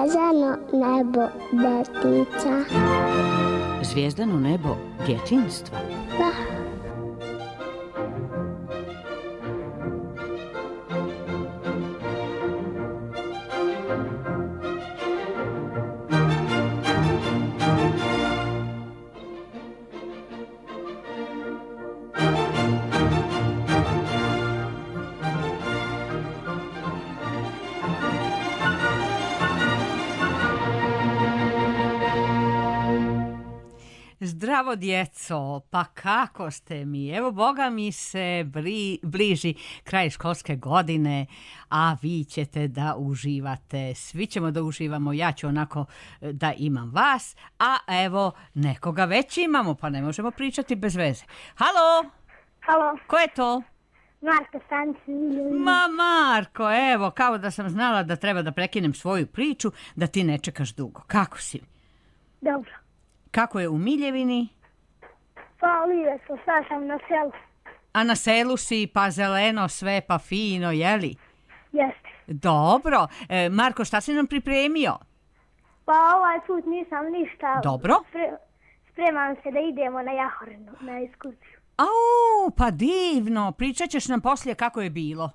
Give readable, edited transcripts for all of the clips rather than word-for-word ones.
Zvezdano nebo detica. Zvijezdano nebo djetinjstva. Da. Zdravo djeco, pa kako ste mi? Evo, Boga mi se bliži kraj školske godine, a vi ćete da uživate. Svi ćemo da uživamo, ja ću onako da imam vas, a evo, nekoga već imamo, pa ne možemo pričati bez veze. Halo? Halo, Ko je to? Marko Stanić Miljović. Ma Marko, evo, kao da sam znala da treba da prekinem svoju priču, da ti ne čekaš dugo. Kako si? Dobro. Kako je u Miljevini? Pa lijepo, sad sam na selu. A na selu si, pa zeleno sve, pa fino, jeli? Jeste. Dobro. Marko, šta si nam pripremio? Pa ovaj put nisam ništa. Dobro. Spremam se da idemo na Jahorinu, na ekskurziju. Au, pa divno. Pričat ćeš nam poslije kako je bilo.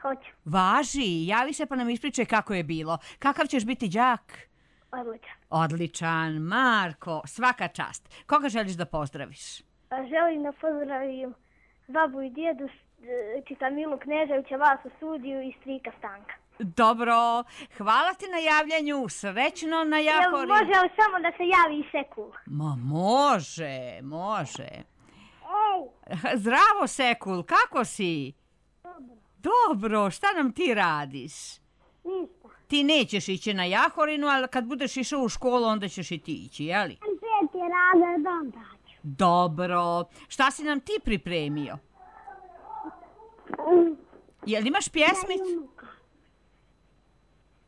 Hoću. Važi, javi se pa nam ispričaj kako je bilo. Kakav ćeš biti đak? Odličan. Odličan. Marko, svaka čast. Koga želiš da pozdraviš? Želim da pozdravim babu i djedu, čita Milu Kneževića, vas u studiju i strika Stanka. Dobro. Hvala ti na javljanju. Srećno na Jahori. Može li samo da se javi i Sekul? Ma može, može. Ej! Zdravo Sekul, kako si? Dobro. Dobro, šta nam ti radiš? Ništa. Ti nećeš ići na Jahorinu, ali kad budeš išao u školu, onda ćeš i ti ići, jeli? Sam 5. razred, onda ću. Dobro. Šta si nam ti pripremio? Jel imaš pjesmicu?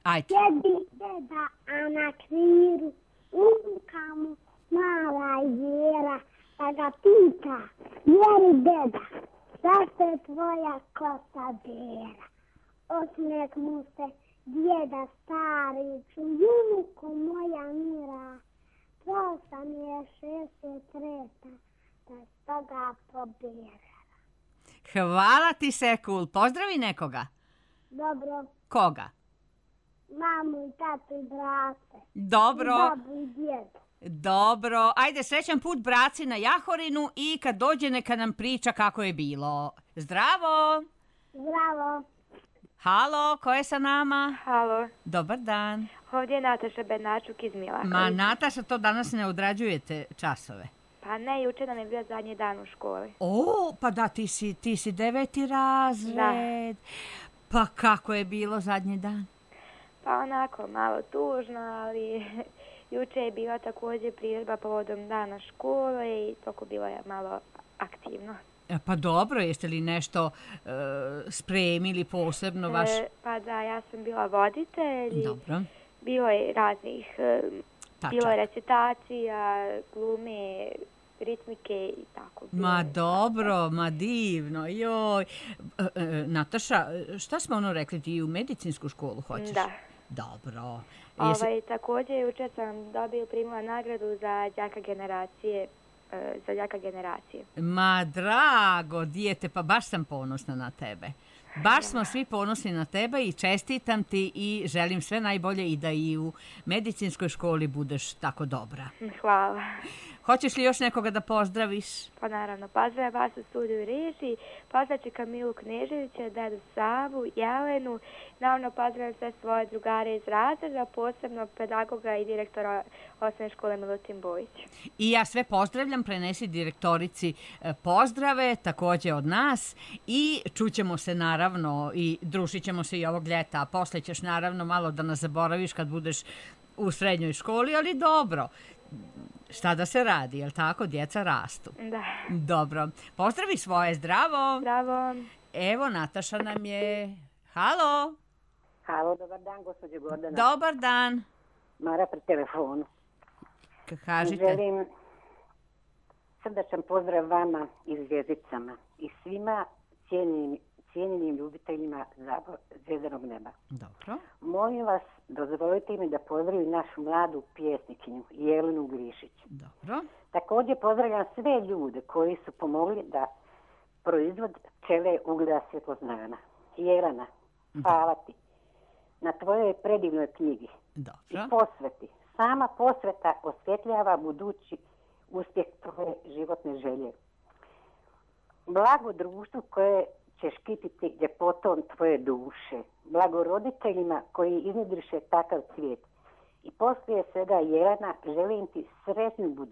Ajde. Sjedi deda, a na kriru, unuka mu mala jera, pa ga pita, jeri deda, zašto je tvoja kosa bera? Osmijeh mu se djeda stari, unuko moja mira, to sam je 63, da stoga pobjera. Hvala ti, Sekul. Pozdravi nekoga. Dobro, Koga? mamu i tatu i brate. Dobro. I babu i djedu. Dobro. Ajde, srećan put braci na Jahorinu i kad dođe neka nam priča kako je bilo. Zdravo. Zdravo. Halo, ko je sa nama? Halo, Dobar dan. ovdje je Nataša Bednačuk iz Milakovića. Ma, Nataša, to danas ne odrađujete časove. Pa ne, juče nam je bio zadnji dan u školi. O, pa da, ti si 9. razred. Pa kako je bilo zadnji dan? Pa onako, malo tužno, ali juče je bila također priredba povodom dana škole i toko bilo je malo aktivno. Pa dobro, jeste li nešto spremili posebno vaš? Pa da, ja sam bila voditelj. Dobro. Bilo je raznih, bilo je recitacija, glume, ritmike i tako. Ma dobro, ma divno, joj. Nataša, šta smo ono rekli, ti u medicinsku školu hoćeš? Da. Dobro. Također jučer sam primila nagradu za đaka generacije. Ma drago, dijete, pa baš sam ponosna na tebe. Baš smo svi ponosni na tebe i čestitam ti i želim sve najbolje i da i u medicinskoj školi budeš tako dobra. Hvala. Hoćeš li još nekoga da pozdraviš? Pa naravno, pozdravljam vas u studiju i režiji, pozdravljam Kamilu Kneževića, dedu Savu, Jelenu, naravno pozdravljam sve svoje drugare iz razreda, posebno pedagoga i direktora osnovne škole Milutin Bojić. I ja sve pozdravljam, prenesi direktorici pozdrave, također od nas i čućemo se naravno i družit ćemo se i ovog ljeta, a posle ćeš naravno malo da nas zaboraviš kad budeš u srednjoj školi, ali dobro. Šta da se radi, jel tako? Djeca rastu. Da. Dobro. Pozdravi svoje, zdravo. Bravo. Evo, Nataša nam je... Halo. Halo, dobar dan, gospođo Gordana. Dobar dan. Mara pri telefonu. Kažite. Želim srdačan pozdrav vama i zvjezdicama i svima cijenjenim ljubiteljima zvjezdanog neba. Dobro. Molim vas, dozvolite mi da pozdravim našu mladu pjesnikinju Jelenu Glišić. Dobro. Također pozdravljam sve ljude koji su pomogli da proizvod pčele ugleda svjetloznana. Jelena, hvala ti na tvojoj predivnoj knjigi. Dobro. I posveti. Sama posveta osvjetljava budući uspjeh tvoje životne želje. Blago društvu koje će štititi ljepotom tvoje duše. Blago roditeljima koji iznjedriše takav svijet. I poslije svega, Jelena, želim ti sretnu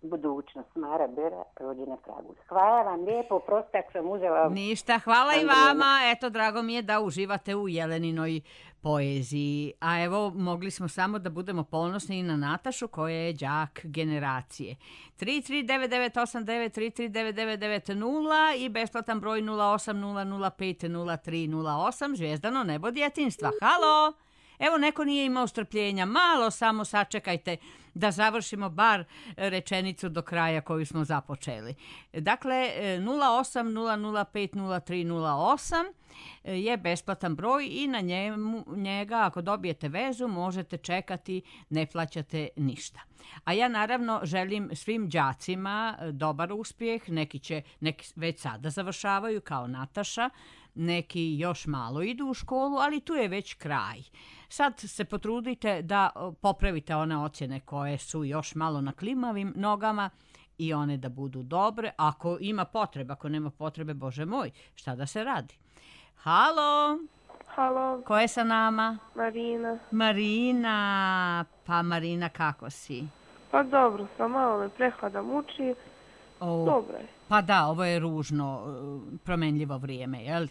budućnost. Mara Bera, rođena Kragujevac. Hvala vam lijepo, prosto ako sam uzela... Ništa, hvala i vama. Eto, drago mi je da uživate u Jeleninoj poeziji. A evo, mogli smo samo da budemo ponosni i na Natašu koja je đak generacije. 3399893 3399990 i besplatan broj 080050300308, Zvijezdano nebo djetinjstva. Halo! Evo, neko nije imao strpljenja. Malo samo sačekajte da završimo bar rečenicu do kraja koju smo započeli. Dakle, 080050300308 je besplatan broj i na njega, ako dobijete vezu, možete čekati, ne plaćate ništa. A ja naravno želim svim đacima dobar uspjeh, neki već sada završavaju kao Nataša, neki još malo idu u školu, ali tu je već kraj. Sad se potrudite da popravite one ocjene koje su još malo na klimavim nogama i one da budu dobre. Ako ima potrebe, ako nema potrebe, Bože moj, šta da se radi? Halo? Halo. Ko je sa nama? Marina. Marina. Pa Marina, kako si? Pa dobro, sam malo me prehlada muči. Dobro je. Pa da, ovo je ružno, promenljivo vrijeme, je li?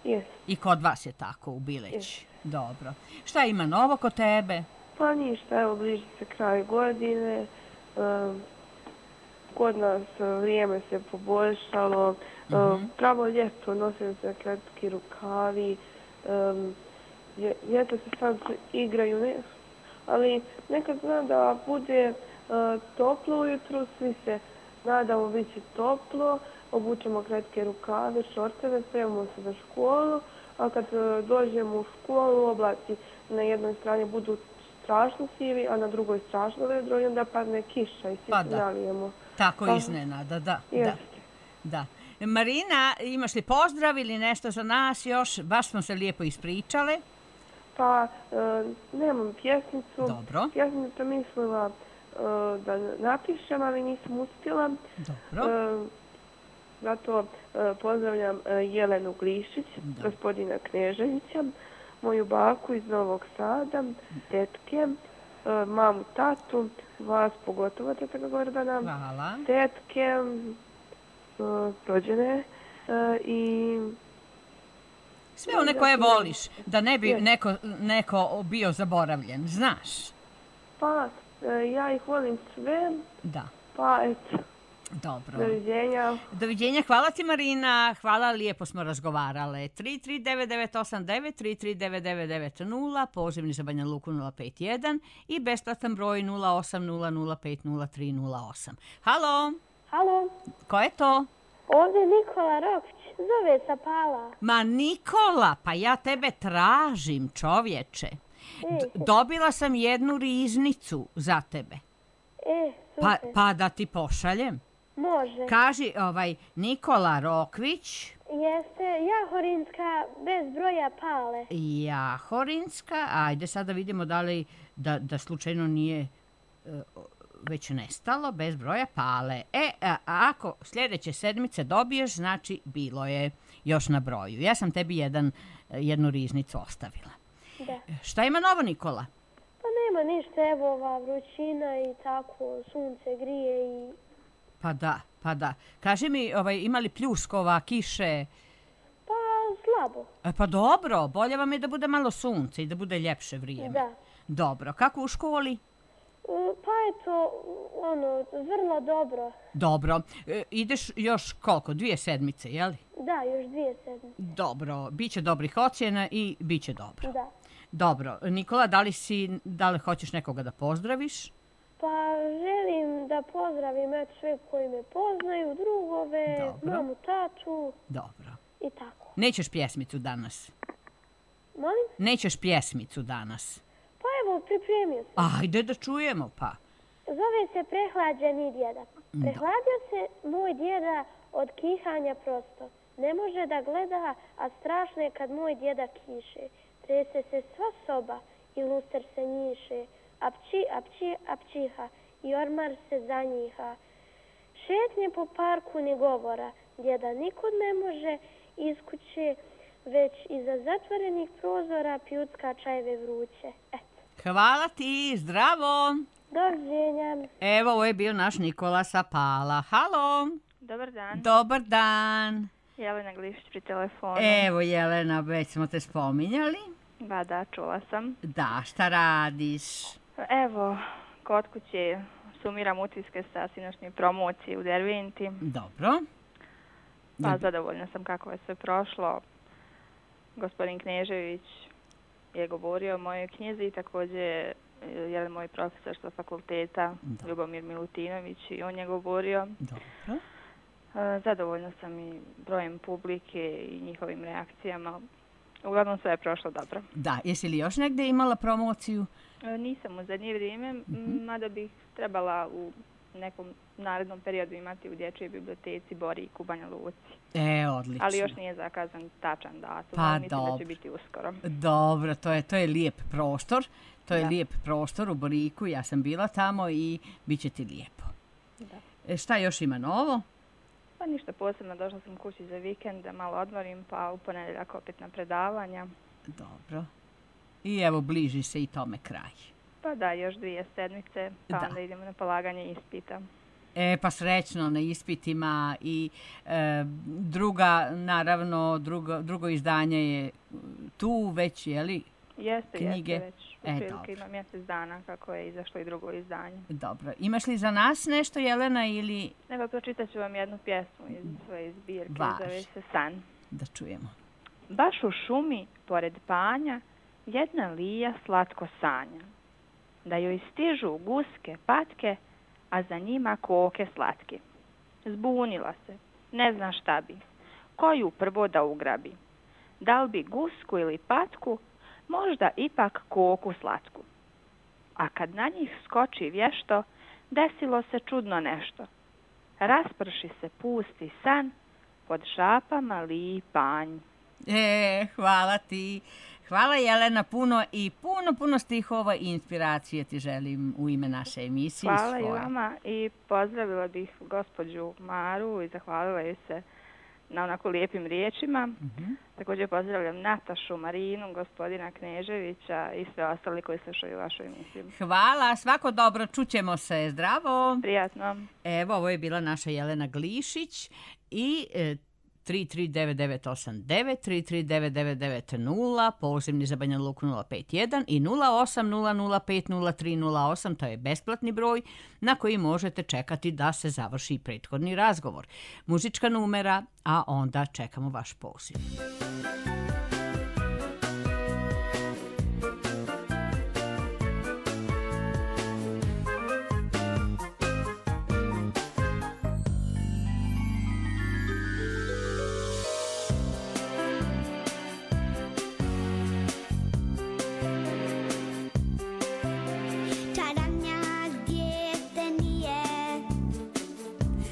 Jes. I kod vas je tako u Bileći? Dobro. Šta ima novo kod tebe? Pa ništa, evo bliži se kraj godine. Kod nas vrijeme se poboljšalo. Pravo ljeto, nosim se kratki rukavi. Ljeta se sad igraju, ali nekad zna da bude toplo ujutru, svi se nadamo bit će toplo, obučemo kratke rukave, šorteve, spremamo se za školu, a kad dođemo u školu, oblaci na jednoj strani budu strašno sivi, a na drugoj strašno vedro i onda padne kiša i svi se nalijemo. Tako iznenada, da. Da. Marina, imaš li pozdrav ili nešto za nas još? Baš smo se lijepo ispričale. Pa, nemam pjesnicu. Dobro. Ja sam to mislila da napišem, ali nisam uspjela. Dobro. Zato pozdravljam Jelenu Glišić, gospodina Kneževića, moju baku iz Novog Sada, tetke, mamu, tatu, vas pogotovo, teta Gordana, hvala. Tetke, rođene i... Sve one koje voliš, da ne bi neko bio zaboravljen, znaš? Pa, ja ih volim sve. Da. Pa, eto. Dobro. Doviđenja. Doviđenja, hvala ti Marina, hvala, lijepo smo razgovarale. 3399989, 3399990, pozivni za Banja Luku 051 i besplatan broj 080050300308. Halo? Halo? Ko je to? Ovdje Nikola Rokvić, zove sa Pala. Ma Nikola, pa ja tebe tražim, čovječe. Dobila sam jednu riznicu za tebe. Super. Pa da ti pošaljem. Može. Kaži, Nikola Rokvić. Jeste Jahorinska bez broja Pale. Jahorinska, ajde sad da vidimo da li da slučajno nije već nestalo, bez broja Pale. Ako sljedeće sedmice dobiješ, znači bilo je još na broju. Ja sam tebi jednu riznicu ostavila. Da. Šta ima novo, Nikola? Pa nema ništa, evo ova vrućina i tako, sunce grije i... Pa da. Kaži mi, ima li pljuskova, kiše? Pa slabo. Pa dobro, bolje vam je da bude malo sunce i da bude ljepše vrijeme. Da. Dobro, kako u školi? U Pa eto, vrlo dobro. Dobro. Ideš još koliko? 2 sedmice, je li? Da, još 2 sedmice. Dobro. Biće dobrih ocjena i biće dobro. Da. Dobro. Nikola, da li hoćeš nekoga da pozdraviš? Pa želim da pozdravim sve koji me poznaju, drugove, Dobro. mamu, tatu Dobro. i tako. Nećeš pjesmicu danas? Molim? Nećeš pjesmicu danas? Pa evo, pripremio sam. Ajde da čujemo, pa. Zove se Prehlađeni djeda. Prehladio se moj djeda od kihanja prosto. Ne može da gleda, a strašno je kad moj djeda kiše. Trese se sva soba i luster se njiše. Apći, apći, apćiha i ormar se zanjiha. Šetnje po parku ni govora. Djeda nikud ne može iz kuće, već iza zatvorenih prozora pljucka čajeve vruće. Eto. Hvala ti, zdravo! Doviđenja. Evo, ovo je bio naš Nikola sa Pala. Halo! Dobar dan, Dobar dan! Jelena Glišić pri telefonu. Evo, Jelena, već smo te spominjali. Da, čula sam. Da, šta radiš? Evo, kod kuće sumiram utiske sa sinoćnje promocije u Derventi. Dobro. Pa zadovoljna sam kako je sve prošlo. Gospodin Knežević je govorio o mojoj knjizi i također jedan moj profesor sa fakulteta, Ljubomir Milutinović, i on je govorio. Dobro. Zadovoljna sam i brojem publike i njihovim reakcijama. Uglavnom sve je prošlo dobro. Da, jesi li još negdje imala promociju? Nisam u zadnje vrijeme, mada bih trebala u nekom narednom periodu imati u dječjoj biblioteci Boriku u Banja Luci. Odlično. Ali još nije zakazan tačan datum, Pa ali mislim dobro. da će biti uskoro. Dobro, to je lijep prostor. To je lijep prostor u Boriku, ja sam bila tamo i bit će ti lijepo. Da. Šta još ima novo? Pa ništa posebno, došla sam kući za vikend da malo odmorim, pa u ponedjeljak opet na predavanja. Dobro. I evo, bliži se i tome kraj. Pa da, još 2 sedmice, pa Da. onda idemo na polaganje ispita. Pa srećno na ispitima i drugo izdanje je tu već, je li? Jeste Knjige. već. Otprilike ima mjesec dana kako je izašlo i drugo izdanje. Dobro. Imaš li za nas nešto, Jelena, ili Evo, pročitat ću vam jednu pjesmu iz svoje zbirke, Važi. zove se San. da čujemo? Baš u šumi, pored panja, jedna lija slatko sanja. Da joj stižu guske, patke, a za njima koke slatke. Zbunila se, ne zna šta bi, koju prvo da ugrabi. Da li bi gusku ili patku, možda ipak koku slatku. A kad na njih skoči vješto, desilo se čudno nešto. Rasprši se pusti san, pod šapama liji panj. Hvala ti. Hvala, Jelena, puno i puno stihova i inspiracije ti želim u ime naše emisije. Hvala i vama i pozdravila bih gospođu Maru i zahvalila joj se na onako lijepim riječima. Također pozdravljam Natašu, Marinu, gospodina Kneževića i sve ostali koji slušaju vašu emisiju. Hvala, svako dobro, čućemo se, zdravo. Prijatno. Evo, ovo je bila naša Jelena Glišić i 339989, 339990, pozivni za Banja Luku 051 i 0800500308, to je besplatni broj na koji možete čekati da se završi prethodni razgovor. Muzička numera, a onda čekamo vaš poziv.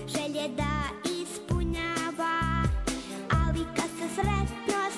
Želje da ispunjava, ali kad se sretno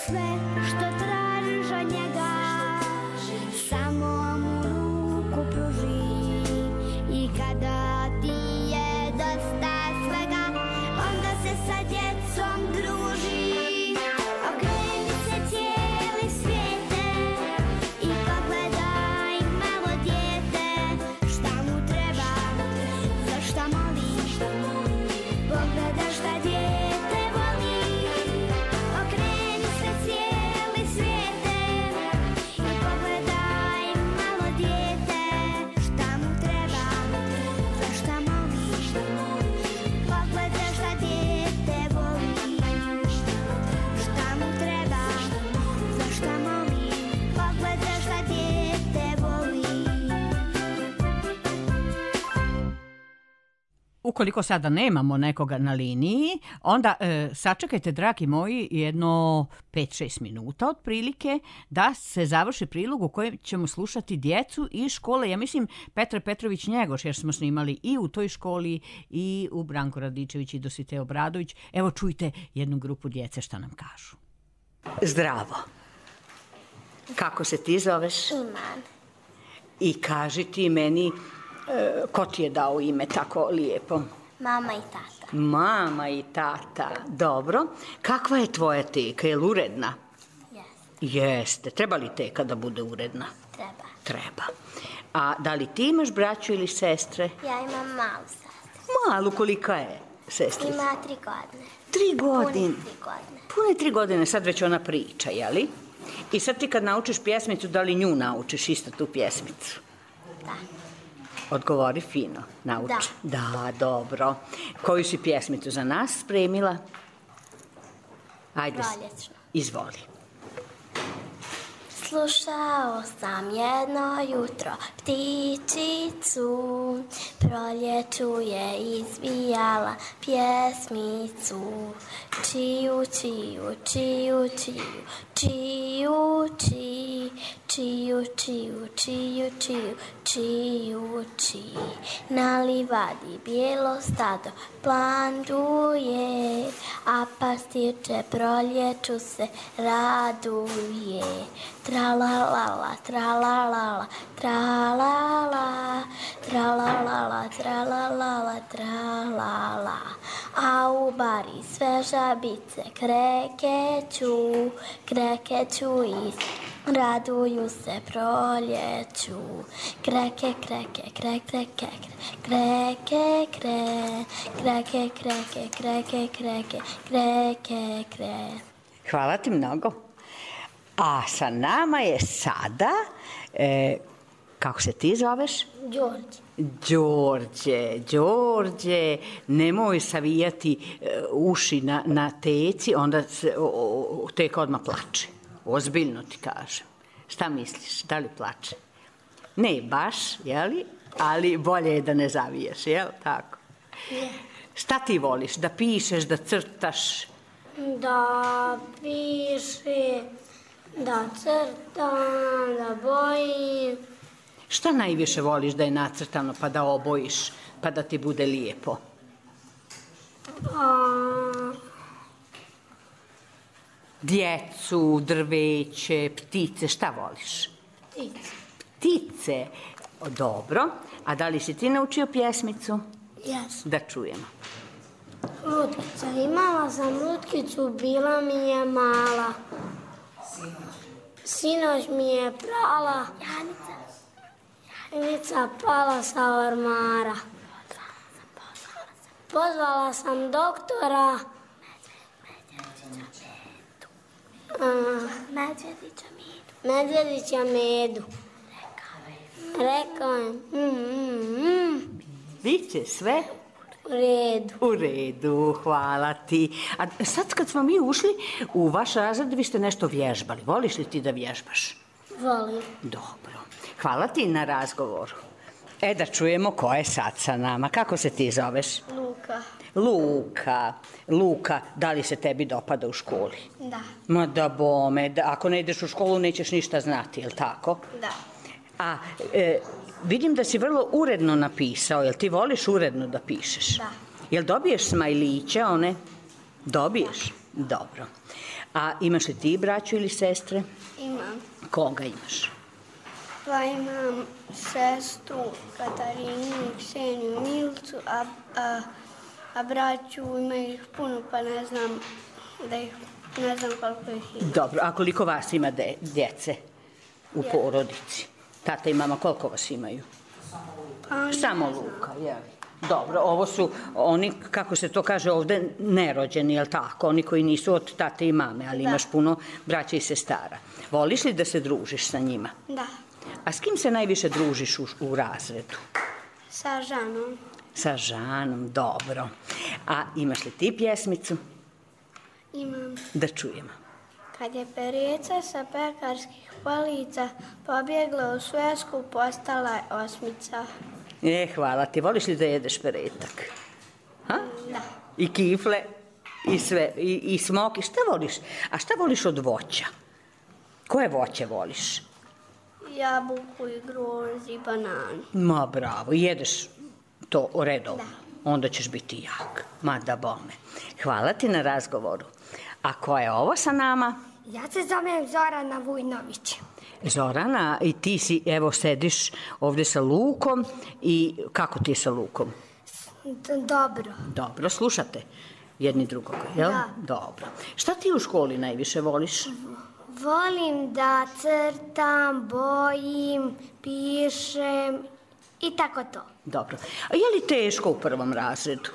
sve što tražiš od njega, samo mu ruku pruži. I kada ti je dosta svega, onda se sa djecom druži. Okreni se cijeli svijete i pogledaj malo dijete, šta mu treba, za šta moli. Pogledaj šta dijete voli. Okreni se cijeli svijete i pogledaj malo dijete, šta mu treba, za šta moli. Pogledaj šta dijete voli, šta mu treba, za šta moli. Pogledaj šta dijete voli. Ukoliko sada nemamo nekoga na liniji, onda sačekajte, dragi moji, jedno 5-6 minuta otprilike da se završi prilog u kojem ćemo slušati djecu iz škole, ja mislim Petra Petrović Njegoš, jer smo snimali i u toj školi i u Branko Radičević i Dositej Obradović. Evo čujte jednu grupu djece šta nam kažu. Zdravo. Kako se ti zoveš? Iman. I kaži ti meni, ko ti je dao ime tako lijepo? Mama i tata. Mama i tata. Dobro. Kakva je tvoja teka? Je li uredna? Jeste. Jeste. Treba li teka da bude uredna? Treba. Treba. A da li ti imaš braću ili sestre? Ja imam malu sestru. Malu, kolika je sestrica? Ima 3 godine. 3 godine. Pune 3 godine. Pune 3 godine, sad već ona priča, jeli? I sad ti kad naučiš pjesmicu, da li nju naučiš isto tu pjesmicu? Da. Odgovori fino, nauči. Da, dobro. Koju si pjesmicu za nas spremila? Ajde, Proljećnu. izvoli. Slušao sam jedno jutro ptičicu, proljeću je izvijala pjesmicu. Čiju, čiju, čiju, čiju, čiju, čiju, čiju, čiju, čiju, čiju, čiju, čiju. Na livadi bijelo stado planduje, a pastirče proljeću se raduje. Tralalala, tralalala, tralala, tralalala, tralalala, tralala. A u bari sve žabice krekeću i raduju se proljeću. Kreke, kreke, kreke, kreke, kreke, kreke, kreke, kreke, kreke, kreke, kreke, kreke. Hvala ti mnogo. A sa nama je sada, kako se ti zoveš? Đorđe, nemoj savijati uši na teci, onda teka odmah plače. Ozbiljno ti kažem. Šta misliš, da li plače? Ne baš, jeli? Ali bolje je da ne zavijaš, jel? Tako. Šta ti voliš? Da pišeš, da crtaš? Da piše, da crtam, da bojim. Šta najviše voliš da je nacrtano pa da obojiš, pa da ti bude lijepo? Djecu, drveće, ptice, šta voliš? Ptice. Dobro. A da li si ti naučio pjesmicu? Jesam. Da čujemo. Lutkica. Imala sam lutkicu, bila mi je mala. Sinoć mi je prala. Janica pala sa ormara. Pozvala sam doktora. Medvjedića Medu. Rekao je, Biće sve? U redu. U redu, hvala ti. A sad kad smo mi ušli u vaš razred, vi ste nešto vježbali. Voliš li ti da vježbaš? Volim. Dobro. Hvala ti na razgovoru. Da čujemo ko je sad sa nama. Kako se ti zoveš? Luka, da li se tebi dopada u školi? Da. Ma da bome, ako ne ideš u školu nećeš ništa znati, je li tako? Da. A vidim da si vrlo uredno napisao, jel ti voliš uredno da pišeš? Da. Jel dobiješ smajliće one? Dobiješ? Dobro. A imaš li ti braću ili sestre? Imam. Koga imaš? Pa imam sestru Katarinu i Kseniju Milcu, a braću ima ih puno, pa ne znam koliko ih ima. Dobro, a koliko vas ima djece u porodici? Tata i mama, koliko vas imaju? Samo Luka, jel? Dobro, ovo su oni, kako se to kaže ovde, nerođeni, jel tako? Oni koji nisu od tate i mame, ali imaš puno braća i sestara. Voliš li da se družiš sa njima? Da. A s kim se najviše družiš u razredu? Sa Žanom. Sa Žanom, dobro. A imaš li ti pjesmicu? Imam. Da čujemo. Kad je perica sa pekarskih polica pobjegla u svesku, postala je osmica. Hvala ti. Voliš li da jedeš peretak? Ha? Da. I kifle, i sve, i smoki. Šta voliš? A šta voliš od voća? Koje voće voliš? Jabuku i grožđ i bananu. Ma bravo, jedeš to redovno. Da. Onda ćeš biti jak. Ma da bome. Hvala ti na razgovoru. A ko je ovo sa nama? Ja se zovem Zorana Vujnović. Zorana, i ti si, evo, sediš ovdje sa Lukom i kako ti je sa Lukom? Dobro. Dobro, slušate jedni drugog, jel? Da. Dobro. Šta ti u školi najviše voliš? Volim da crtam, bojim, pišem i tako to. Dobro. A je li teško u prvom razredu?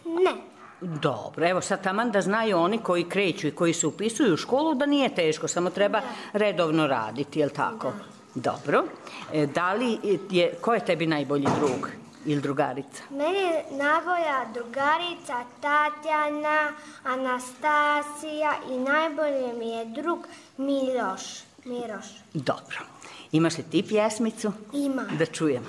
Ne. Dobro, evo sad taman da znaju oni koji kreću i koji se upisuju u školu da nije teško, samo treba redovno raditi, jel tako? Da. Dobro. Ko je tebi najbolji drug ili drugarica? Meni je najbolja drugarica Tatjana, Anastasija i najbolje mi je drug Miroš. Dobro. Imaš li ti pjesmicu? Imam. Da čujemo.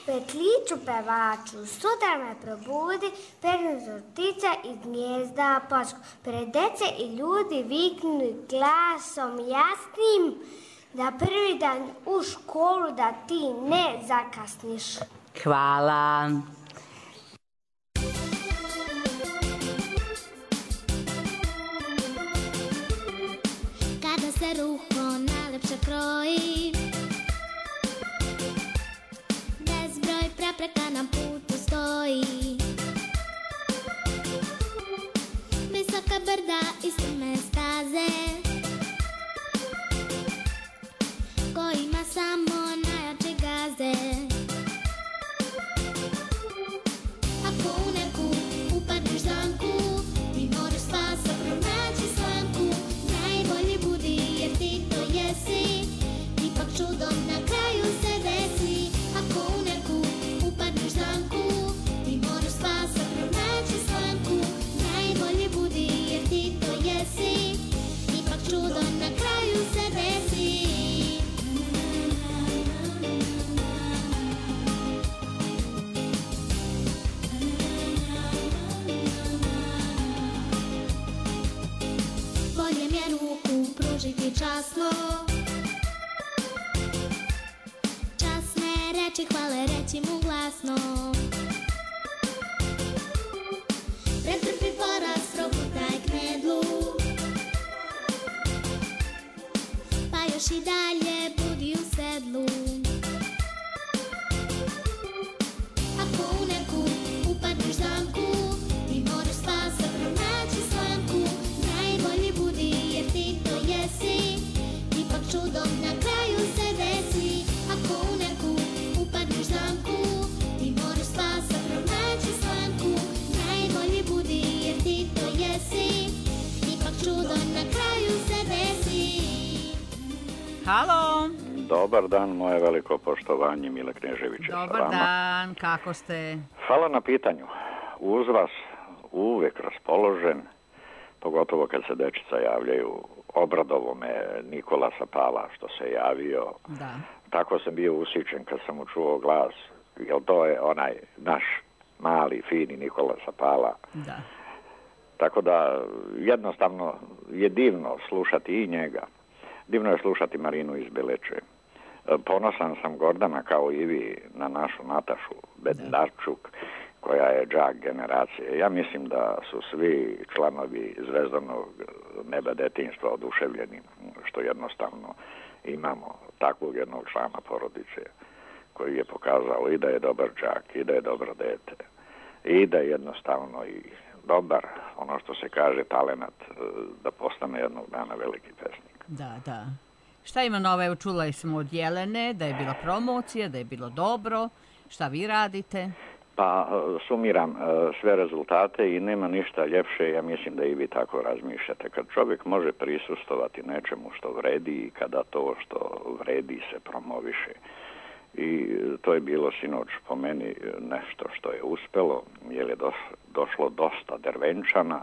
Petliću pevaču, sutra me probudi, pegnu ptica iz gnjezda posku. Pred dece i ljudi viknu glasom jasnim, da prvi dan u školu da ti ne zakasniš. Hvala. Kada se ruho najlepše kroji, bezbroj prepreka na putu stoji. Visoka brda i strme staze, kojima samo najjači gaze. Ako u neku upadneš zamku, ti moraš spasa pronaći slamku. Najbolji budi jer ti to jesi, ipak čudom na kraju se desi. Ako u neku upadneš zamku, ti moraš spasa pronaći slamku. Najbolji budi jer ti to jesi, ipak čudom na kraju se desi. Bolje mi je ruku pružiti časno, časne reči hvale reći mu glasno. Pretrpi poraz, progutaj knedlu, pa još i dalje budi u sedlu. Ako u neku upadneš zamku, ti moraš spasa pronaći slamku. Najbolji budi jer ti to jesi, ipak čudom na kraju se desi. Ako u neku upadneš zamku, ti moraš spasa pronaći slamku. Najbolji budi jer ti to jesi, ipak čudom na kraju se desi. Halo. Dobar dan, moje veliko poštovanje, Mile Knežević. Dobar dan, kako ste? Hvala na pitanju. Uz vas uvek raspoložen, pogotovo kad se dečica javljaju. Obradovo me Nikola Sapala što se javio. Da. Tako sam bio usičen kad sam mu čuo glas, jer to je onaj naš mali, fini Nikola Sapala. Da. Tako da jednostavno je divno slušati i njega. Divno je slušati Marinu iz Beleče. Ponosan sam, Gordana, kao i vi, na našu Natašu Bendarčuk, koja je đak generacije. Ja mislim da su svi članovi Zvezdanog neba detinjstva oduševljeni, što jednostavno imamo takvog jednog člana porodice koji je pokazao i da je dobar đak, i da je dobro dete, i da je jednostavno i dobar, ono što se kaže, talenat da postane jednog dana veliki pesnik. Da. Šta ima nove? Evo, čula smo od Jelene da je bila promocija, da je bilo dobro. Šta vi radite? Pa sumiram sve rezultate i nema ništa ljepše, ja mislim da i vi tako razmišljate. Kad čovjek može prisustovati nečemu što vredi i kada to što vredi se promoviše. I to je bilo sinoć po meni nešto što je uspelo, jer je došlo dosta Dervenčana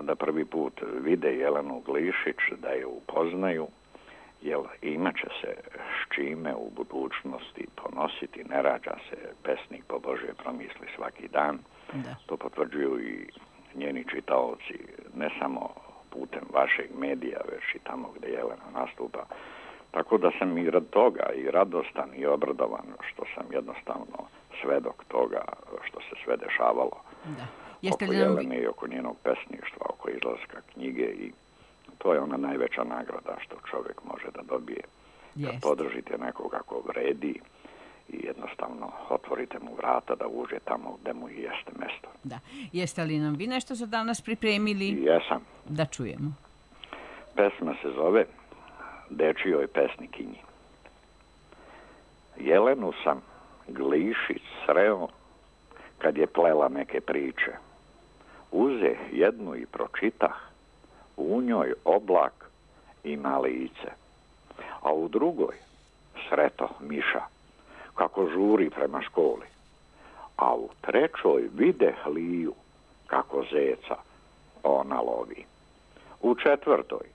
da prvi put vide Jelenu Glišić, da je upoznaju, jer imat će se s čime u budućnosti ponositi, ne rađa se pesnik po Božje promisli svaki dan. Da. To potvrđuju i njeni čitaoci, ne samo putem vašeg medija, već i tamo gdje Jelena nastupa. Tako da sam i rad toga i radostan i obradovan što sam jednostavno svedok toga što se sve dešavalo. Da. Oko Jelene i oko njenog pesništva, oko izlaska knjige i to je ona najveća nagrada što čovjek može da dobije. Kad podržite nekoga ko vredi i jednostavno otvorite mu vrata da uđe tamo gde mu i jeste mesto. Da. Jeste li nam vi nešto za danas pripremili? Jesam. Da čujemo. Pesma se zove Dečijoj pesnikinji. Jelenu sam Glišić sreo kad je plela neke priče. Uze jednu i pročitah, u njoj oblak ima lice. A u drugoj sreto miša, kako žuri prema školi. A u trećoj vide liju, kako zeca ona lovi. U četvrtoj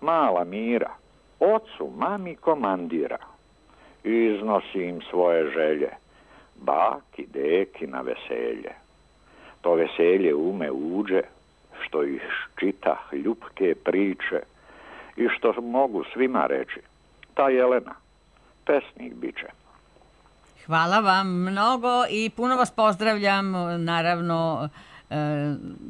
mala Mira, ocu, mami komandira. Iznosi im svoje želje, baki, deki na veselje. To veselje ume uđe, što ih čita ljubke priče i što mogu svima reći. Ta Jelena, pesnik biće. Hvala vam mnogo i puno vas pozdravljam, naravno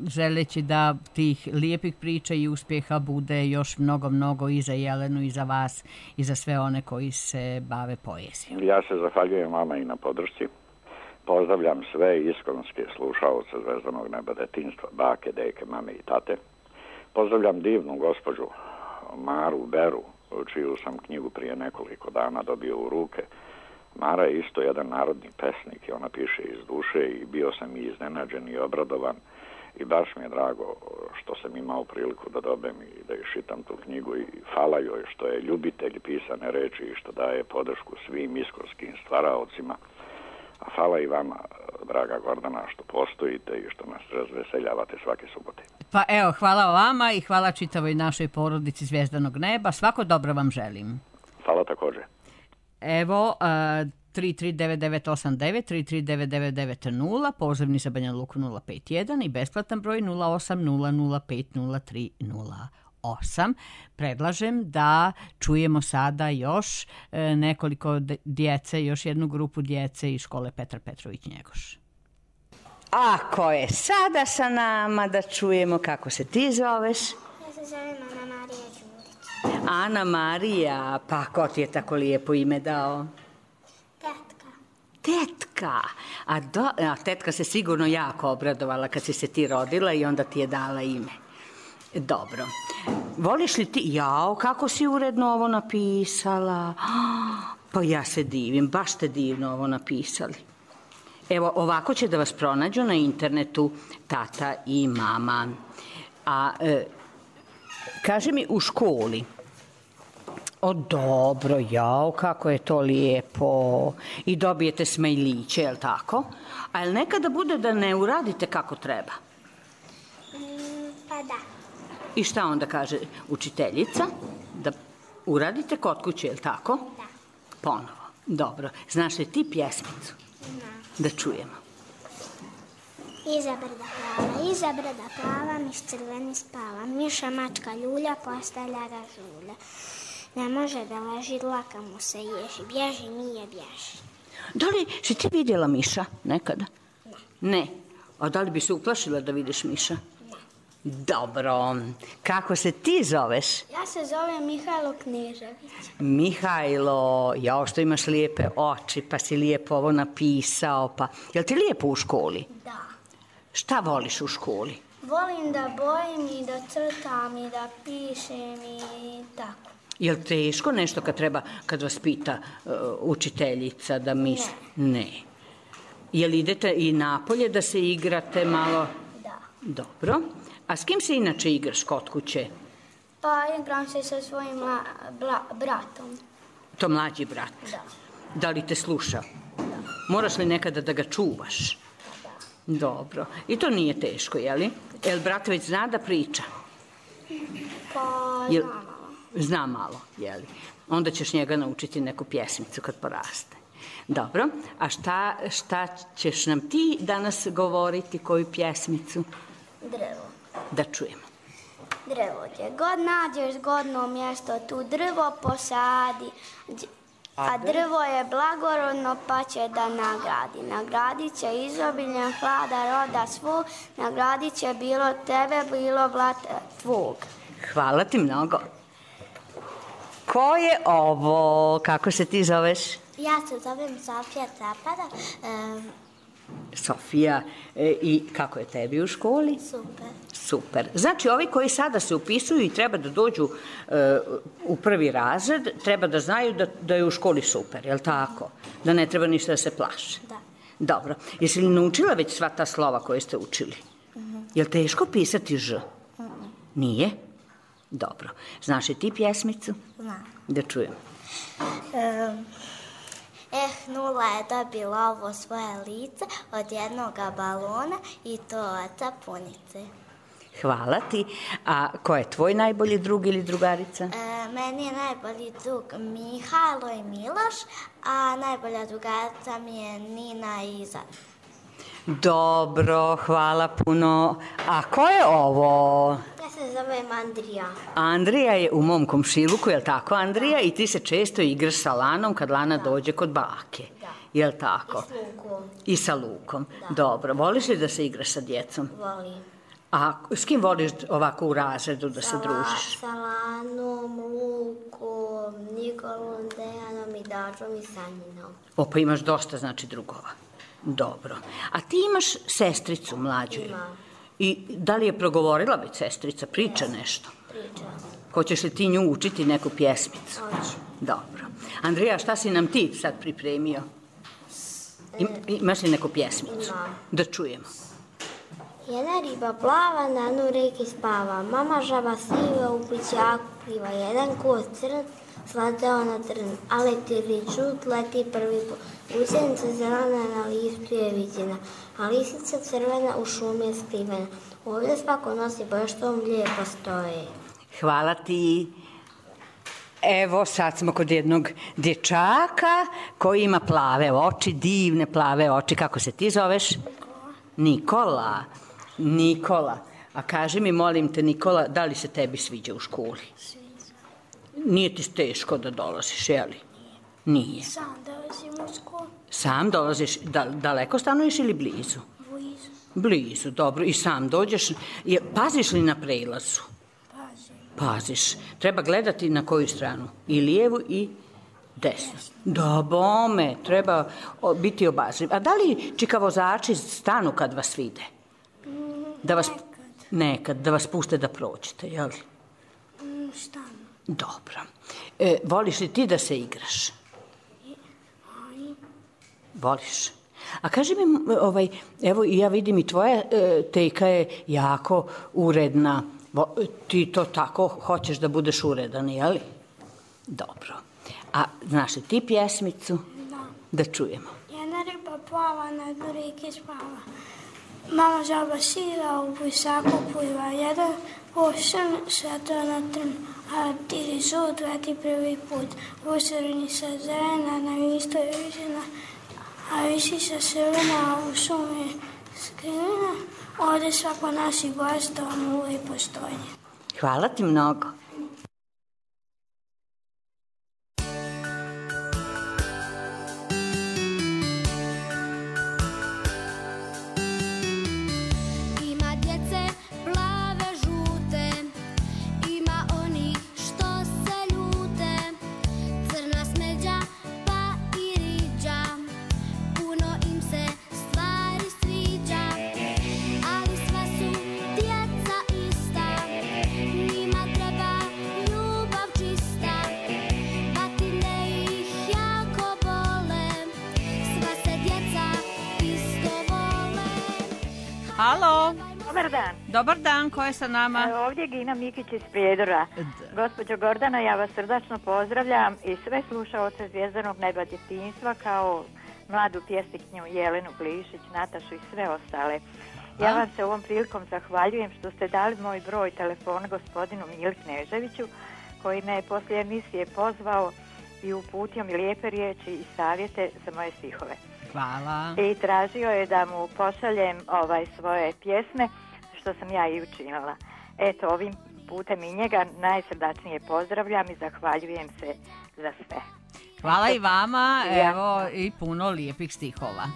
želeći da tih lijepih priča i uspjeha bude još mnogo i za Jelenu i za vas i za sve one koji se bave poezijom. Ja se zahvaljujem vama i na podršci. Pozdravljam sve iskonske slušaoce Zvezdanog neba detinjstva, bake, deke, mame i tate. Pozdravljam divnu gospođu Maru Beru, čiju sam knjigu prije nekoliko dana dobio u ruke. Mara je isto jedan narodni pesnik i ona piše iz duše i bio sam i iznenađen i obradovan i baš mi je drago što sam imao priliku da dobem i da iščitam tu knjigu i hvala joj što je ljubitelj pisane reči i što daje podršku svim iskorskim stvaraocima. A hvala i vama, draga Gordana, što postojite i što nas razveseljavate svake subote. Pa evo, hvala vama i hvala čitavoj našoj porodici Zvezdanog neba. Svako dobro vam želim. Hvala također. Evo, 339989, 339990, pozivni za Banja Luku 051 i besplatan broj 0800503008. Predlažem da čujemo sada još nekoliko djece, još jednu grupu djece iz škole Petar Petrović Njegoš. Ako je sada sa nama da čujemo kako se ti zoveš? Ja se zovem Ana Marija Đurić. Ana Marija, pa ko ti je tako lijepo ime dao? Tetka. Tetka. A tetka se sigurno jako obradovala kad si se ti rodila i onda ti je dala ime. Dobro. Voliš li ti? Jao, kako si uredno ovo napisala. Pa ja se divim, baš ste divno ovo napisali. Evo, ovako će da vas pronađu na internetu tata i mama. A kaži mi, u školi? O, dobro, jao, kako je to lijepo. I dobijete smajliće, je li tako? A je li nekada bude da ne uradite kako treba? Pa da. I šta onda kaže učiteljica? Da uradite kod kuće, je li tako? Da. Ponovo. Dobro. Znaš li ti pjesmicu? Da čujemo. Iza brda plava, miš crveni spava, miša mačka ljulja, postavlja ga žulja. Ne može da leži, dlaka mu se ježi, bježi, nije bježi. Da li si ti vidjela miša nekada? Ne. Ne. A da li bi se uplašila da vidiš miša? Dobro. Kako se ti zoveš? Ja se zovem Mihajlo Knežević. Mihajlo, jao što imaš lijepe oči, pa si lijepo ovo napisao, pa... Jel ti lijepo u školi? Da. Šta voliš u školi? Volim da bojim i da crtam i da pišem i tako. Jel teško nešto kad vas pita učiteljica da misli? Ne. Jel idete i napolje da se igrate malo? Da. Dobro. A s kim se inače igraš kod kuće? Pa igram se sa svojim bratom. To mlađi brat? Da. Da li te sluša? Da. Moraš li nekada da ga čuvaš? Da. Dobro. I to nije teško, jeli? Jel brat već zna da priča? Pa Jel... zna malo. Zna malo, jeli? Onda ćeš njega naučiti neku pjesmicu kad poraste. Dobro. A šta ćeš nam ti danas govoriti, koju pjesmicu? Drvo. Da čujemo. Drvo, gdje god nađeš zgodno mjesto, tu drvo posadi. A drvo je blagorodno pa će da nagradi. Nagradit će izobiljem hlada roda svog, nagradit će bilo tebe, bilo blata tvog. Hvala ti mnogo. Ko je ovo? Kako se ti zoveš? Ja se zovem Sofija Capada. Sofija, i kako je tebi u školi? Super. Super. Znači, ovi koji sada se upisuju i treba da dođu u prvi razred, treba da znaju da je u školi super, je li tako? Da ne treba ništa da se plaše. Da. Dobro. Jesi li naučila već sva ta slova koje ste učili? Je li teško pisati ž? Nije? Dobro. Znaš li ti pjesmicu? Znam. Da čujem. Nula je dobila ovo svoje lice od jednoga balona i to oca punice. Hvala ti. A ko je tvoj najbolji drug ili drugarica? Meni je najbolji drug Mihajlo i Miloš, a najbolja drugarica mi je Nina i Izar. Dobro, hvala puno. A ko je ovo? Ja se zovem Andrija. Andrija je u mom komšiluku, je li tako, Andrija? I ti se često igraš sa Lanom kad Lana dođe kod bake. Da. Je li tako? I s Lukom. I sa Lukom. Da. Dobro, voliš li da se igraš sa djecom? Volim. A s kim voliš ovako u razredu da se družiš? Sa Lanom, Lukom, Nikolom, Dejanom i Dačom i Sanjinom. O, pa imaš dosta, znači, drugova. Dobro. A ti imaš sestricu mlađu? Imam. I da li je progovorila već sestrica? Priča nešto? Priča. Hoćeš li ti nju učiti neku pjesmicu? Hoću. Dobro. Andrija, šta si nam ti sad pripremio? Imaš li neku pjesmicu? Imam. Da čujemo. Jedna riba plava, na dnu reke spava. Mama žaba siva u plićaku pliva. Jedan koz crn slatao na trn, a letiri žut leti prvi put. Gusenica zelena na listu je viđena, a lisica crvena u šumi je skrivena. Ovdje svako nosi baš što lijepo stoje. Hvala ti. Evo, sad smo kod jednog dječaka koji ima plave oči, divne plave oči. Kako se ti zoveš? Nikola. Nikola. A kaži mi, molim te, Nikola, da li se tebi sviđa u školi? Sviđa. Nije ti teško da dolaziš, je li? Nije. Sam dolazim u školu. Sam dolaziš, daleko stanuješ ili blizu? Blizu. Blizu, dobro. I sam dođeš. Paziš li na prelazu? Pazim. Paziš. Treba gledati na koju stranu? I lijevu i desnu. Da, bome. Treba biti obazriv. A da li čikavozači stanu kad vas vide? Nekad. Da vas puste da prođete, jel? Šta? Dobro. Voliš li ti da se igraš? Voliš? A kaži mi, evo ja vidim i tvoja tejka je jako uredna. Ti to tako hoćeš da budeš uredan, jel? Dobro. A znaš li ti pjesmicu? Da. Da čujemo. Jedna riba plava, na dnu reke spava. Mama žaba siva u plićaku pliva. Jedan pošan slatao na trn, a tiri žut leti prvi put. Gusenica zelena na listu je viđena, a lisica crvena u šumi je skrivena. Ovdje svako nosi baš što mu lijepo stoji. Hvala ti mnogo. Dobar dan, ko je sa nama? Ovdje je Gina Mikić iz Prijedora. Gospođo Gordana, ja vas srdačno pozdravljam i sve slušaoce Zvjezdanog neba djetinjstva kao mladu pjesnikinju Jelenu Glišić, Natašu i sve ostale. Ja vam se ovom prilikom zahvaljujem što ste dali moj broj telefona gospodinu Mili Kneževiću, koji me je poslije emisije pozvao i uputio mi lijepe riječi i savjete za moje stihove. Hvala. I tražio je da mu pošaljem svoje pjesme, što sam ja i učinila. Eto, ovim putem i njega najsrdačnije pozdravljam i zahvaljujem se za sve. Hvala i vama, evo i puno lijepih stihova.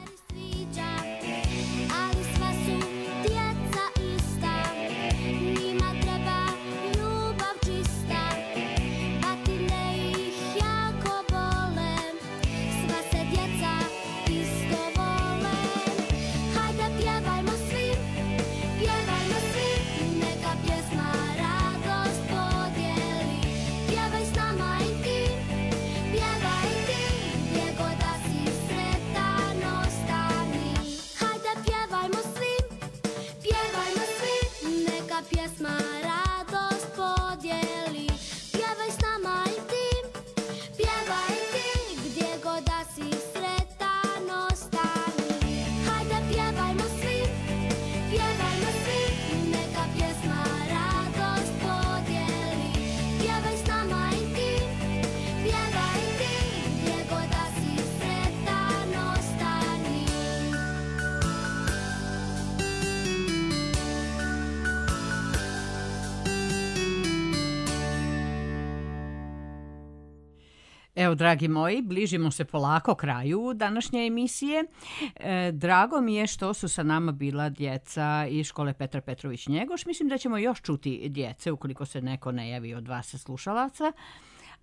Evo, dragi moji, bližimo se polako kraju današnje emisije. Drago mi je što su sa nama bila djeca iz škole Petar Petrović Njegoš. Mislim da ćemo još čuti djece ukoliko se neko ne javi od vas slušalaca.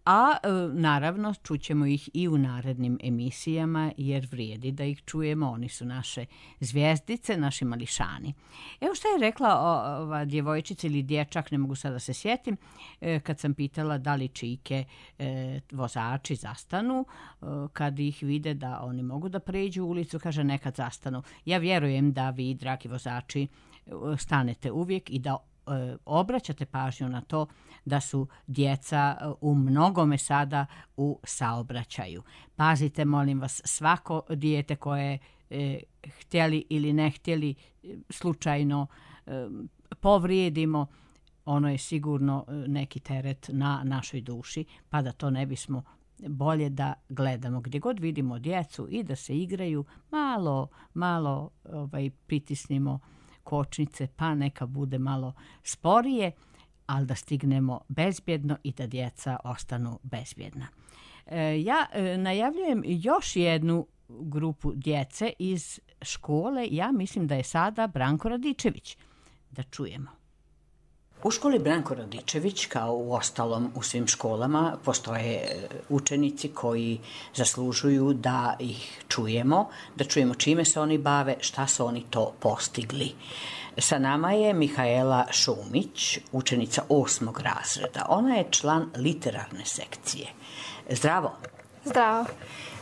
A naravno čućemo ih i u narednim emisijama jer vrijedi da ih čujemo. Oni su naše zvjezdice, naši mališani. Evo što je rekla ova djevojčica ili dječak, ne mogu sada da se sjetim, kad sam pitala da li čike vozači zastanu kad ih vide da oni mogu da pređu ulicu, kaže nekad zastanu. Ja vjerujem da vi, dragi vozači, stanete uvijek i da obraćate pažnju na to da su djeca u mnogome sada u saobraćaju. Pazite, molim vas, svako dijete koje htjeli ili ne htjeli slučajno povrijedimo, ono je sigurno neki teret na našoj duši, pa da to ne bismo bolje da gledamo gdje god vidimo djecu i da se igraju, malo pritisnimo kočnice, pa neka bude malo sporije, ali da stignemo bezbjedno i da djeca ostanu bezbjedna. Ja najavljujem još jednu grupu djece iz škole, ja mislim da je sada Branko Radičević. Da čujemo. U školi Branko Radičević, kao u ostalom u svim školama, postoje učenici koji zaslužuju da ih čujemo, da čujemo čime se oni bave, šta su oni to postigli. Sa nama je Mihaela Šumić, učenica 8. razreda. Ona je član literarne sekcije. Zdravo. Zdravo.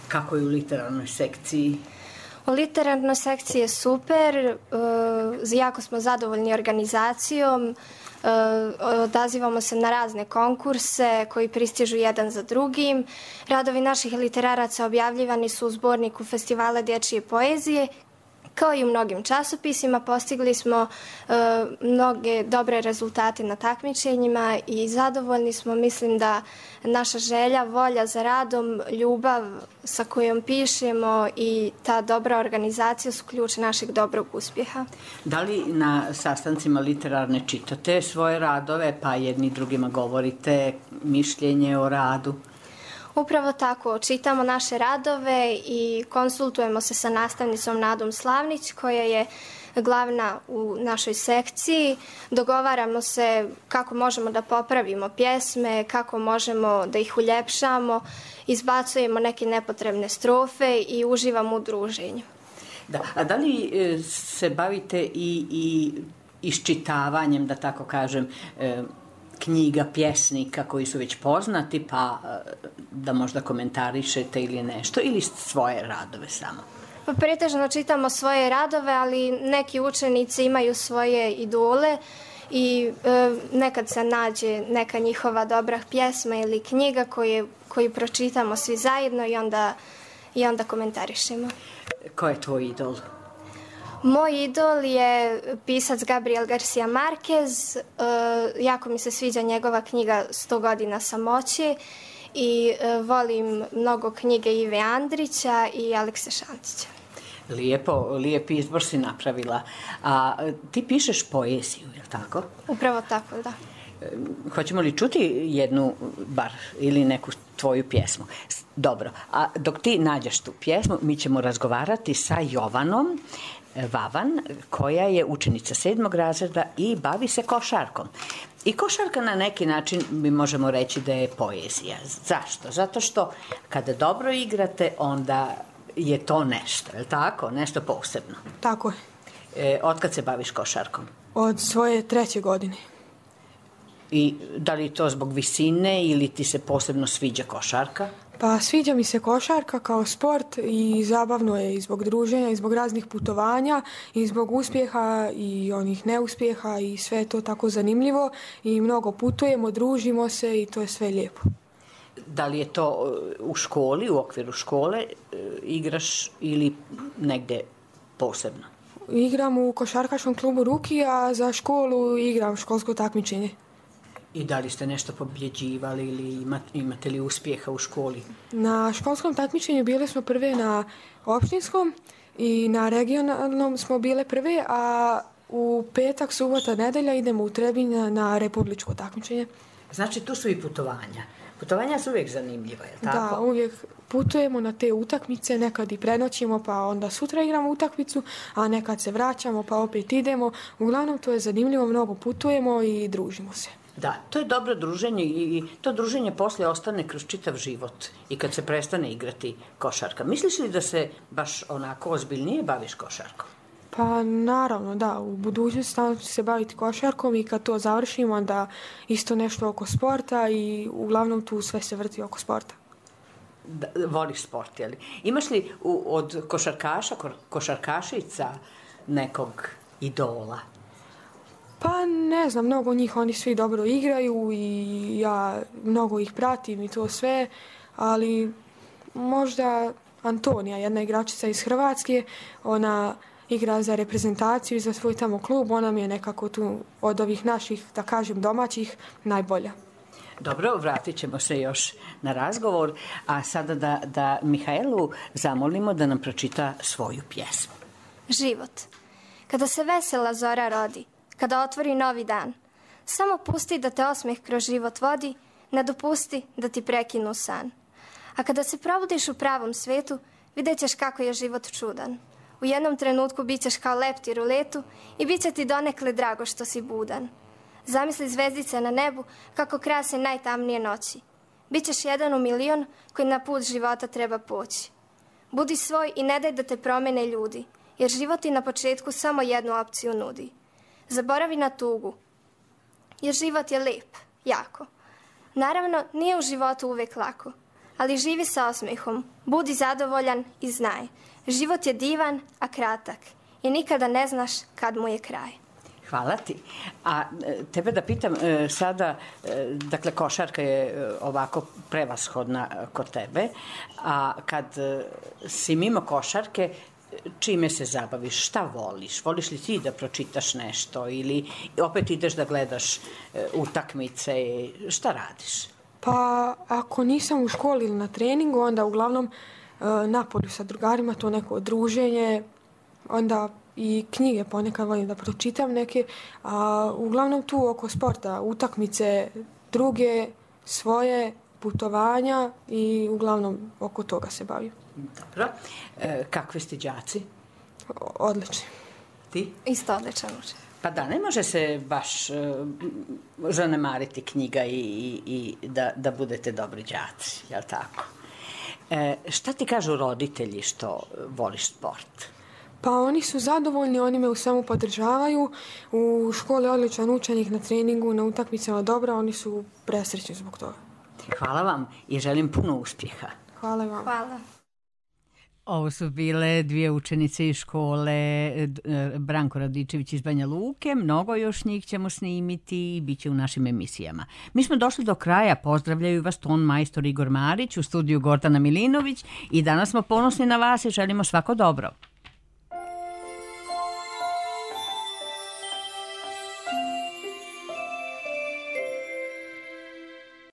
Kako je u literarnoj sekciji? U literarnoj sekciji je super, jako smo zadovoljni organizacijom, odazivamo se na razne konkurse koji pristižu jedan za drugim. Radovi naših literaraca objavljivani su u zborniku Festivala dječje poezije. Kao i u mnogim časopisima, postigli smo mnoge dobre rezultate na takmičenjima i zadovoljni smo. Mislim da naša želja, volja za radom, ljubav sa kojom pišemo i ta dobra organizacija su ključ našeg dobrog uspjeha. Da li na sastancima literarne čitate svoje radove, pa jedni drugima govorite mišljenje o radu? Upravo tako, čitamo naše radove i konsultujemo se sa nastavnicom Nadom Slavnić, koja je glavna u našoj sekciji. Dogovaramo se kako možemo da popravimo pjesme, kako možemo da ih uljepšamo, izbacujemo neke nepotrebne strofe i uživamo u druženju. Da, a da li se bavite i iščitavanjem, da tako kažem, knjiga, pjesnika koji su već poznati, pa da možda komentarišete ili nešto, ili svoje radove samo? Pa pretežno čitamo svoje radove, ali neki učenici imaju svoje idole i nekad se nađe neka njihova dobra pjesma ili knjiga koju pročitamo svi zajedno i onda komentarišemo. Ko je tvoj idol? Moj idol je pisac Gabriel Garcia Marquez. Jako mi se sviđa njegova knjiga 100 godina samoće i volim mnogo knjige Ive Andrića i Alekse Šantića. Lijep izbor si napravila. A ti pišeš poeziju, je li tako? Upravo tako, da. Hoćemo li čuti jednu bar ili neku tvoju pjesmu? Dobro, a dok ti nađeš tu pjesmu, mi ćemo razgovarati sa Jovanom Vavan, koja je učenica 7. razreda i bavi se košarkom. I košarka na neki način mi možemo reći da je poezija. Zašto? Zato što kada dobro igrate, onda je to nešto, je li tako? Nešto posebno. Tako je. Otkad se baviš košarkom? Od svoje 3. godine. I da li to zbog visine ili ti se posebno sviđa košarka? Pa sviđa mi se košarka kao sport i zabavno je i zbog druženja i zbog raznih putovanja i zbog uspjeha i onih neuspjeha i sve je to tako zanimljivo i mnogo putujemo, družimo se i to je sve lijepo. Da li je to u školi, u okviru škole igraš ili negdje posebno? Igram u košarkaškom klubu Ruki, a za školu igram školsko takmičenje. I da li ste nešto pobjeđivali ili imate li uspjeha u školi? Na školskom takmičenju bili smo prve na opštinskom i na regionalnom smo bile prve, a u petak, subota, nedelja idemo u Trebinje na republičko takmičenje. Znači tu su i putovanja. Putovanja su uvijek zanimljiva, je li tako? Da, uvijek putujemo na te utakmice, nekad i prenoćimo pa onda sutra igramo utakmicu, a nekad se vraćamo pa opet idemo. Uglavnom to je zanimljivo, mnogo putujemo i družimo se. Da, to je dobro druženje i to druženje poslije ostane kroz čitav život i kad se prestane igrati košarka. Misliš li da se baš onako ozbiljnije baviš košarkom? Pa naravno, da. U budućnosti stalno ću se baviti košarkom i kad to završim, onda isto nešto oko sporta i uglavnom tu sve se vrti oko sporta. Da, voliš sport, je li? Imaš li od košarkašica nekog idola? Pa ne znam, mnogo njih, oni svi dobro igraju i ja mnogo ih pratim i to sve, ali možda Antonija, jedna igračica iz Hrvatske, ona igra za reprezentaciju i za svoj tamo klub, ona mi je nekako tu od ovih naših, da kažem, domaćih najbolja. Dobro, vratit ćemo se još na razgovor, a sada da Mihaelu zamolimo da nam pročita svoju pjesmu. Život. Kada se vesela zora rodi, kada otvori novi dan, samo pusti da te osmeh kroz život vodi, ne dopusti da ti prekinu san. A kada se probudiš u pravom svetu, vidjet ćeš kako je život čudan. U jednom trenutku bit ćeš kao leptir u letu i bit će ti donekle drago što si budan. Zamisli zvezdice na nebu kako krase najtamnije noći. Bićeš jedan u milion koji na put života treba poći. Budi svoj i ne daj da te promene ljudi, jer život ti na početku samo jednu opciju nudi. Zaboravi na tugu, jer život je lep, jako. Naravno, nije u životu uvijek lako, ali živi sa osmehom, budi zadovoljan i znaj. Život je divan, a kratak i nikada ne znaš kad mu je kraj. Hvala ti. A tebe da pitam sada, dakle košarka je ovako prevashodna kod tebe, a kad si mimo košarke, čime se zabaviš, šta voliš? Voliš li ti da pročitaš nešto ili opet ideš da gledaš utakmice, šta radiš? Pa ako nisam u školi ili na treningu, onda uglavnom napolju sa drugarima, to neko druženje, onda i knjige ponekad volim da pročitam neke, a uglavnom tu oko sporta, utakmice, druge, svoje, putovanja i uglavnom oko toga se bavim. Dobro. Kakvi ste đaci? Odlični. Ti? Isto odličan učen. Pa da, ne može se baš zanemariti knjiga i da budete dobri đaci, jel tako? Šta ti kažu roditelji što voliš sport? Pa oni su zadovoljni, oni me u svemu podržavaju. U školi odličan učenik, na treningu, na utakmicama dobro, oni su presrećni zbog toga. Hvala vam i želim puno uspjeha. Hvala vam. Hvala. Ovo su bile dvije učenice iz škole Branko Radičević iz Banja Luke. Mnogo još njih ćemo snimiti i bit će u našim emisijama. Mi smo došli do kraja. Pozdravljaju vas ton majstor Igor Marić, u studiju Gordana Milinović i danas smo ponosni na vas i želimo svako dobro.